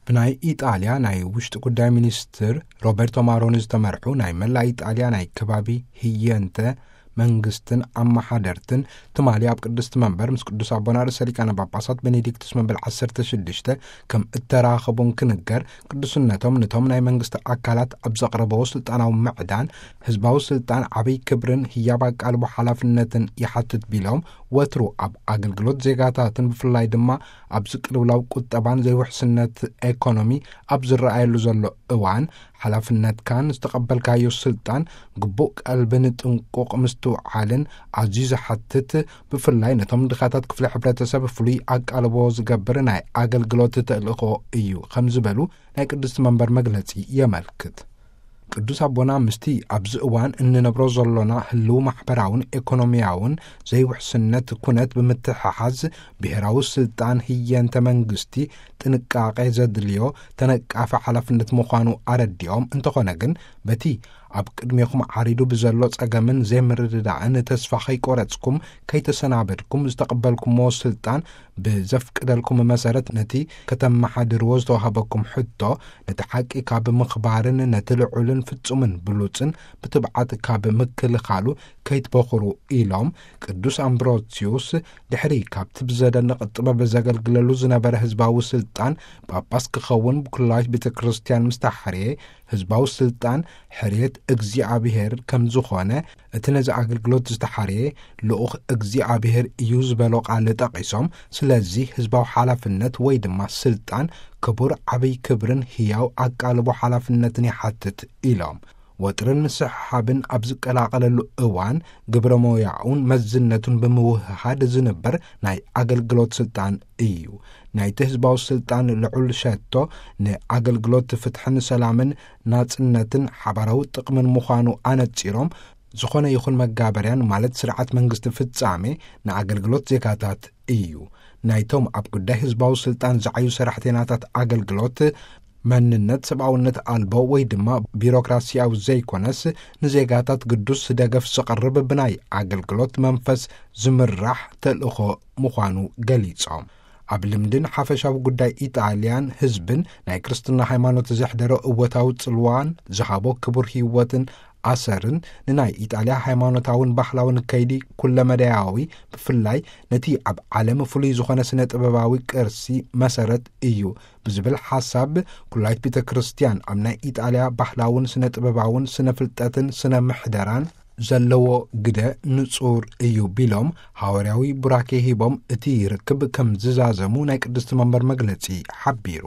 ብናይ ኢጣልያ ናይ ውሽጢ ጉዳይ ሚኒስትር ሮበርቶ ማሮኒ ዝተመርሑ ናይ መላእ ኢጣልያ ናይ ከባቢ ህየንተ መንግስትን ኣመሓደርትን ትማሊ ኣብ ቅድስቲ መንበር ምስ ቅዱስ ኣቦና ርእሰ ሊቃነ ጳጳሳት ቤኔዲክቱስ መበል ዓሰርተ ሽዱሽተ ከም እተራኸቡን ክንገር፣ ቅዱስነቶም ነቶም ናይ መንግስቲ ኣካላት ኣብ ዘቕረበዎ ስልጣናዊ ምዕዳን ህዝባዊ ስልጣን ዓብይ ክብርን ህያብ ኣቃልቦ ሓላፍነትን ይሓትት ቢሎም፣ ወትሩ ኣብ ኣገልግሎት ዜጋታትን ብፍላይ ድማ ኣብ ዝቅልውላው ቁጠባን ዘይውሕስነት ኤኮኖሚ ኣብ ዝረኣየሉ ዘሎ እዋን፣ ሓላፍነትካን ዝተቐበልካዮ ስልጣን ግቡእ ቀልብን ጥንቁቕ ምስትውዓልን ኣዝዩ ዝሓትት፣ ብፍላይ ነቶም ድኻታት ክፍሊ ሕብረተሰብ ፍሉይ ኣቃልቦ ዝገብር ናይ ኣገልግሎት ተልእኾ እዩ ከም ዝበሉ ናይ ቅድስቲ መንበር መግለጺ የመልክት። ቅዱስ ኣቦና ምስቲ ኣብዚ እዋን እንነብሮ ዘሎና ህልው ማሕበራውን ኤኮኖሚያውን ዘይውሕስነት ኩነት ብምትሕሓዝ፣ ብሔራዊ ስልጣን ህየንተ መንግስቲ ጥንቃቄ ዘድልዮ ተነቃፊ ሓላፍነት ምዃኑ ኣረዲኦም፣ እንተኾነ ግን በቲ ኣብ ቅድሜኹም ዓሪዱ ብዘሎ ጸገምን ዘይምርድዳእን ተስፋ ከይቆረጽኩም ከይተሰናበድኩም ዝተቐበልኩምዎ ስልጣን ብዘፍቅደልኩም መሰረት ነቲ ከተመሓድርዎ ዝተዋህበኩም ሕቶ፣ ነቲ ሓቂ ካብ ምኽባርን ነቲ ልዑልን ፍጹምን ብሉጽን ብትብዓት ካብ ምክልኻሉ ከይትበኹሩ ኢሎም፣ ቅዱስ ኣምብሮሲዩስ ድሕሪ ካብቲ ብዘደንቕ ጥበብ ዘገልግለሉ ዝነበረ ህዝባዊ ስልጣን ጳጳስ ክኸውን ብኩላዊት ቤተ ክርስቲያን ምስ ተሓርየ፣ ህዝባዊ ስልጣን ሕርየት እግዚኣብሔር ከም ዝኾነ፣ እቲ ነዚ ኣገልግሎት ዝተሓርየ ልኡኽ እግዚኣብሔር እዩ ዝበሎ ቃል ጠቒሶም፣ ስለዚ ህዝባዊ ሓላፍነት ወይ ድማ ስልጣን ክቡር ዓብይ ክብርን ህያው ኣቃልቦ ሓላፍነትን ይሓትት ኢሎም። ወጥርን ምስሕሓብን ኣብ ዝቀላቐለሉ እዋን፣ ግብረ ሞያኡን መዝነቱን ብምውህሃድ ዝንበር ናይ ኣገልግሎት ስልጣን እዩ። ናይቲ ህዝባዊ ስልጣን ልዑል ሸቶ ንኣገልግሎት ፍትሕን ሰላምን ናጽነትን ሓባራዊ ጥቕምን ምዃኑ ኣነጺሮም፣ ዝኾነ ይኹን መጋበርያን ማለት ስርዓት መንግስቲ ፍጻሜ ንኣገልግሎት ዜጋታት እዩ። ናይቶም ኣብ ጉዳይ ህዝባዊ ስልጣን ዝዓዩ ሰራሕተኛታት ኣገልግሎት መንነት ሰብኣውነት ኣልቦ ወይ ድማ ቢሮክራሲያዊ ዘይኮነስ፣ ንዜጋታት ግዱስ ደገፍ ዘቕርብ ብናይ ኣገልግሎት መንፈስ ዝምራሕ ተልእኾ ምዃኑ ገሊጾም። ኣብ ልምድን ሓፈሻዊ ጉዳይ ኢጣልያን ህዝብን ናይ ክርስትና ሃይማኖት ዘሕደሮ እወታዊ ጽልዋን ዝሃቦ ክቡር ህይወትን ኣሰርን ንናይ ኢጣልያ ሃይማኖታውን ባህላውን ከይዲ ኩለመዳያዊ፣ ብፍላይ ነቲ ኣብ ዓለም ፍሉይ ዝኾነ ስነ ጥበባዊ ቅርሲ መሰረት እዩ ብዝብል ሓሳብ፣ ኩላይት ቤተ ክርስቲያን ኣብ ናይ ኢጣልያ ባህላውን ስነ ጥበባውን ስነ ፍልጠትን ስነ ምሕደራን ዘለዎ ግደ ንጹር እዩ ቢሎም፣ ሃዋርያዊ ቡራኬ ሂቦም እቲ ርክብ ከም ዝዛዘሙ ናይ ቅድስቲ መንበር መግለጺ ሓቢሩ።